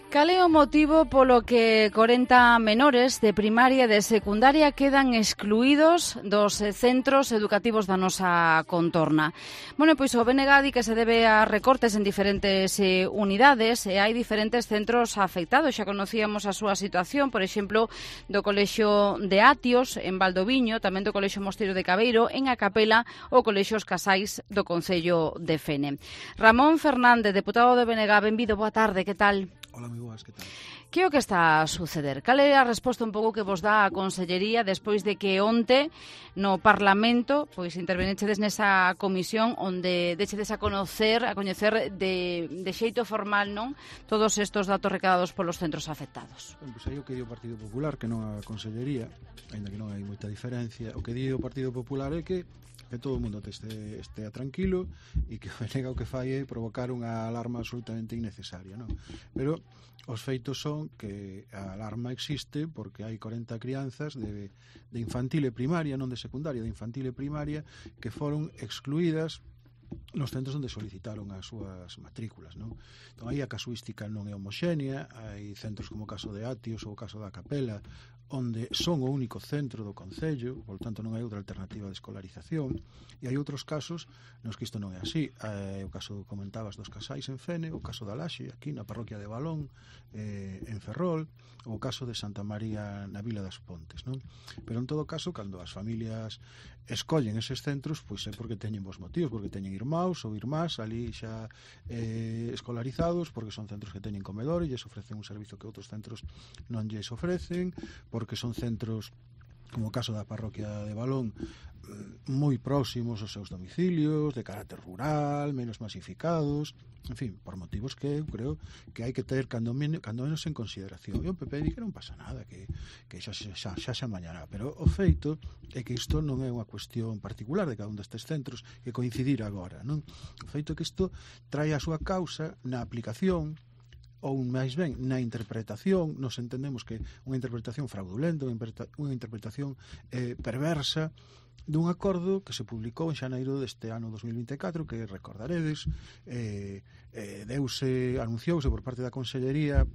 Cal é o motivo polo que 40 menores de primaria e de secundaria quedan excluídos dos centros educativos da nosa contorna? Bueno, pois o BNG di que se debe a recortes en diferentes unidades e hai diferentes centros afectados. Xa conocíamos a súa situación, por exemplo, do Colexio de Atios en Valdoviño, tamén do Colexio Mosteiro de Cabeiro, en A Capela ou Colexios Casais do Concello de Fene. Ramón Fernández, deputado do BNG, benvido, boa tarde, que tal? Hola, moi boas, que tal? Que é o que está a suceder? Cal é a resposta un pouco que vos dá a Consellería despois de que onte no Parlamento pois intervenechedes nesa comisión onde deixedes a coñecer de xeito formal, non, todos estes datos recadados polos centros afectados? Ben, pois aí o que di o Partido Popular, que non a Consellería, ainda que non hai moita diferencia, o que di o Partido Popular é que todo o mundo estea tranquilo e que o BNG o que fai é provocar unha alarma absolutamente innecesaria, non? Pero os feitos son que a alarma existe porque hai 40 crianzas de infantil e primaria, non de secundaria, de infantil e primaria, que foron excluídas nos centros onde solicitaron as súas matrículas, non? Entón, aí a casuística non é homoxénea, hai centros como o caso de Atios ou o caso da Capela, onde son o único centro do Concello, por tanto non hai outra alternativa de escolarización, e hai outros casos nos que isto non é así. O caso, comentabas, dos Casais en Fene, o caso da Laxe, aquí na parroquia de Balón, en Ferrol, ou o caso de Santa María na Vila das Pontes, non? Pero en todo caso, cando as familias escollen eses centros, pois é porque teñen bons motivos, porque teñen irmãos ou irmás ali xa escolarizados, porque son centros que teñen comedor e lles ofrecen un servizo que outros centros non lles ofrecen, porque son centros, como o caso da parroquia de Balón, moi próximos aos seus domicilios, de carácter rural, menos masificados, en fin, por motivos que eu creo que hai que ter cando menos en consideración. E o PP di que non pasa nada, que xa se amañará, pero o feito é que isto non é unha cuestión particular de cada un destes centros que coincidir agora, non? O feito é que isto trae a súa causa na aplicación ou máis ben na interpretación. Nos entendemos que unha interpretación fraudulenta, unha interpretación perversa dun acordo que se publicou en xaneiro deste ano 2024, que recordaredes, anunciouse por parte da Consellería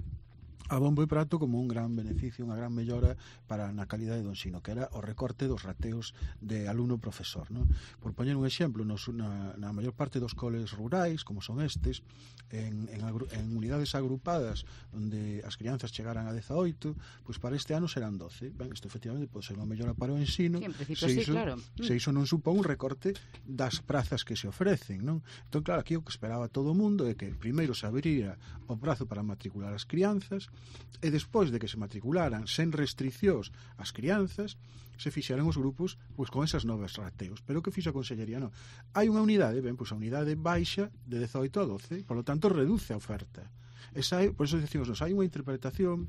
a bombo e prato como un gran beneficio, unha gran mellora para na calidade do ensino, que era o recorte dos rateos de alumno-profesor, non? Por poñer un exemplo, na maior parte dos coles rurais, como son estes, en unidades agrupadas onde as crianzas chegaran a 18, pois para este ano serán 12. Ben, isto efectivamente pode ser unha mellora para o ensino, sí, en principio sí, claro. Se iso non supón un recorte das prazas que se ofrecen, non? Entón, claro, aquí o que esperaba todo o mundo é que primeiro se abriría o prazo para matricular as crianzas, e despois de que se matricularan sen restriccións as crianzas, se fixeran os grupos pois con esas novas rateos. Pero o que fixo a Consellería? Non. Hai unha unidade, ben, pois a unidade baixa de 18 a 12, por lo tanto reduce a oferta. Por eso decimos, hai unha interpretación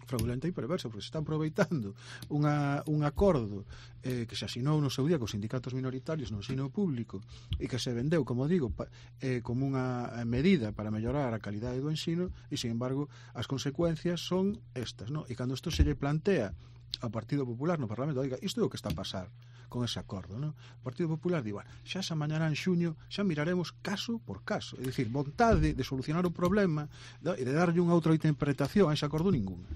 fraudulenta e perversa, porque se está aproveitando un acordo que se asinou no seu día cos sindicatos minoritarios no ensino público e que se vendeu, como digo, como unha medida para mellorar a calidade do ensino, e, sin embargo, as consecuencias son estas, non? E cando isto se lle plantea ao Partido Popular no Parlamento, diga, isto é o que está a pasar con ese acordo, non? O Partido Popular di, bueno, xa se amañará en xuño, xa miraremos caso por caso, é dicir, vontade de solucionar o problema e de darlle unha outra interpretación a ese acordo ninguna.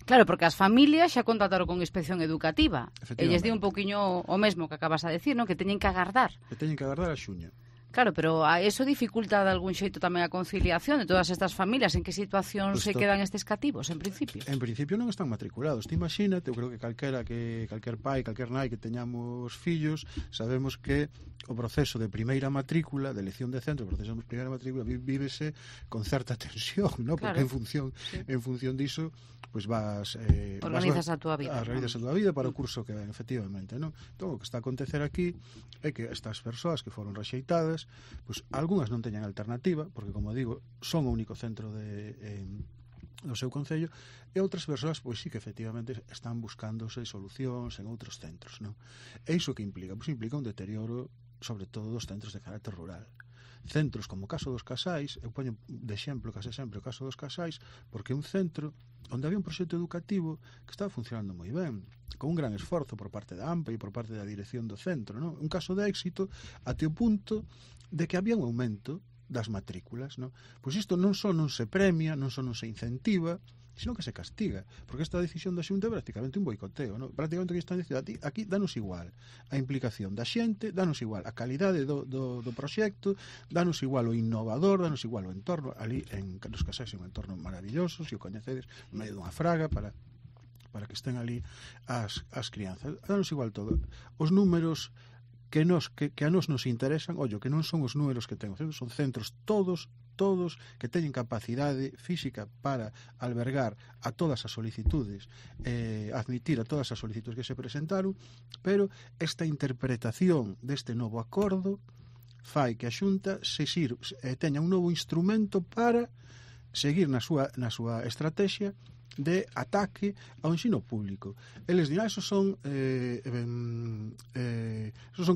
Claro, porque as familias xa contactaron con Inspección Educativa e lles di un pouquiño o mesmo que acabas a decir, non? Que teñen que agardar. Que teñen que agardar a xuño. Claro, pero eso dificulta de algún xeito tamén a conciliación de todas estas familias. En que situación se quedan estes cativos, en principio? En principio non están matriculados. Te imagínate, eu creo que calquer pai, calquer nai que teñamos fillos, sabemos que o proceso de primeira matrícula, de elección de centro, o proceso de primeira matrícula vívese con certa tensión, ¿no? Porque claro, en función diso, pois vas organizas a túa vida. Organizas a túa vida para o curso que ven, efectivamente, ¿no? Entón, o que está a acontecer aquí é que estas persoas que foron rexeitadas, pois algunhas non teñan alternativa, porque, como digo, son o único centro do seu concello, e outras persoas, pois sí que efectivamente están buscándose solucións en outros centros, non? E iso que implica? Pois implica un deterioro, sobre todo, dos centros de carácter rural. Centros como o caso dos Casais, eu poño de exemplo, case sempre, o caso dos Casais, porque é un centro onde había un proxecto educativo que estaba funcionando moi ben, con un gran esforzo por parte da AMPA e por parte da dirección do centro, non? Un caso de éxito até o punto de que había un aumento das matrículas, non? Pois isto non só non se premia, non só non se incentiva, sino que se castiga, porque esta decisión da Xunta é prácticamente un boicoteo, non? Prácticamente que están dicindo, aquí danos igual a implicación da xente, danos igual a calidade do proxecto, danos igual o innovador, danos igual o entorno. Ali en Carlos Casais é un entorno maravilloso, se o coñecedes, no medio dunha fraga para que estén ali as crianzas. Danos igual todo. Os números que a nos interesan, que non son os números que ten o centro, son centros todos que teñen capacidade física para albergar a todas as solicitudes, admitir a todas as solicitudes que se presentaron, pero esta interpretación deste novo acordo fai que a Xunta teña un novo instrumento para seguir na súa estrategia de ataque ao ensino público. Eles dirán, esos son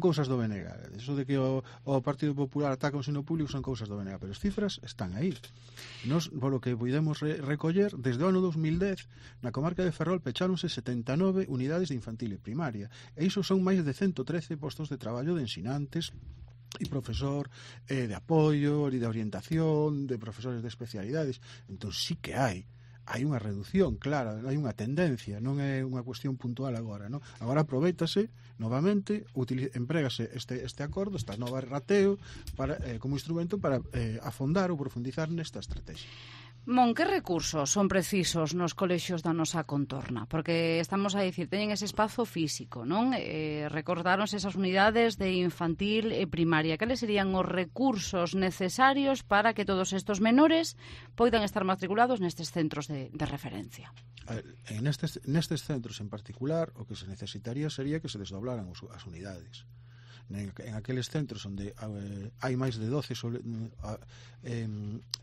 cousas do BNG. Eso de que o Partido Popular ataca o ensino público son cousas do BNG, pero as cifras están aí. Nos, polo que podemos recoller, desde o ano 2010, na comarca de Ferrol pecháronse 79 unidades de infantil e primaria, e iso son máis de 113 postos de traballo de ensinantes e profesor de apoio e de orientación, de profesores de especialidades. Entón sí que hai unha reducción clara, hai unha tendencia, non é unha cuestión puntual agora, non? Agora aproveitase novamente, emprégase este acordo, esta nova rateo como instrumento para afondar ou profundizar nesta estrategia. Mon, que recursos son precisos nos colexios da nosa contorna? Porque estamos a dicir, teñen ese espazo físico, non? Recordaronse esas unidades de infantil e primaria. Cales serían os recursos necesarios para que todos estes menores poidan estar matriculados nestes centros de referencia? Nestes centros en particular, o que se necesitaría sería que se desdoblaran as unidades. En aqueles centros onde hai máis de 12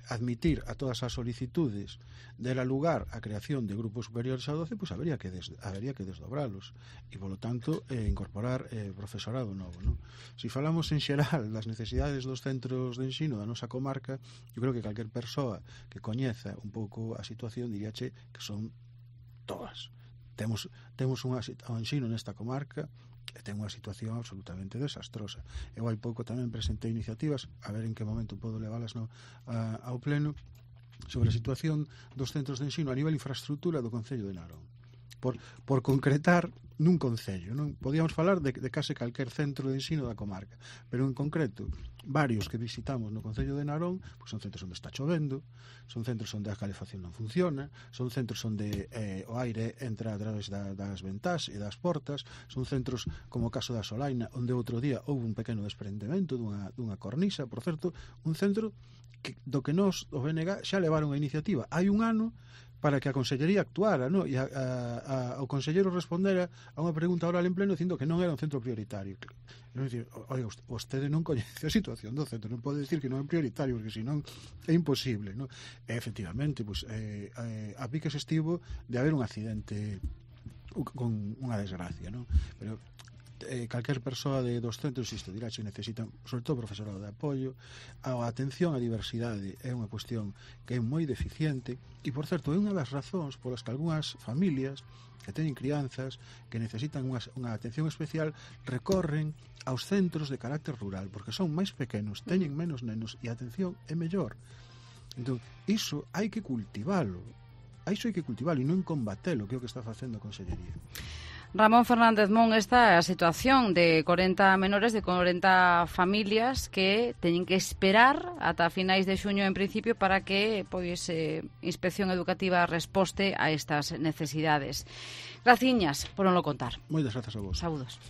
admitir a todas as solicitudes dela lugar a creación de grupos superiores a 12, pois habería que desdobralos e, polo tanto, incorporar profesorado novo, non? Se falamos en xeral das necesidades dos centros de ensino da nosa comarca, eu creo que calquer persoa que coñeza un pouco a situación diríache que son todas. Temos o ensino nesta comarca e ten unha situación absolutamente desastrosa. Eu hai pouco tamén presentei iniciativas, a ver en que momento podo leválas ao pleno, sobre a situación dos centros de ensino a nivel infraestructura do Concello de Narón. Por concretar nun concello, non? Podíamos falar de case calquer centro de ensino da comarca, pero en concreto, varios que visitamos no Concello de Narón, pois son centros onde está chovendo, son centros onde a calefacción non funciona, son centros onde o aire entra a través das ventás e das portas, son centros como o caso da Solaina, onde outro día houve un pequeno desprendemento dunha cornisa, por certo, un centro do que nos, o BNG, xa levaron a iniciativa hai un ano para que a Consellería actuara, non? E o Conselleiro respondera a unha pregunta oral en pleno dicindo que non era un centro prioritario. Non dicir, oiga, vostede non coñece a situación do centro, non pode dicir que non é prioritario, porque senón é imposible, non? E, efectivamente, pues, a piques estivo de haber un accidente con unha desgracia, non? Pero calquer persoa dos centros diraxe necesitan, sobre todo profesorado de apoio. A atención á diversidade é unha cuestión que é moi deficiente e, por certo, é unha das razóns polas que algunhas familias que teñen crianzas que necesitan unha atención especial recorren aos centros de carácter rural, porque son máis pequenos, teñen menos nenos e a atención é mellor. Entón, iso hai que cultivalo e non combatelo, que é o que está facendo a Consellería. Ramón Fernández Mon, esta é a situación de 40 menores, de 40 familias que teñen que esperar ata finais de xuño en principio para que Inspección Educativa resposte a estas necesidades. Graciñas por non lo contar. Moitas grazas a vos. Saúdos.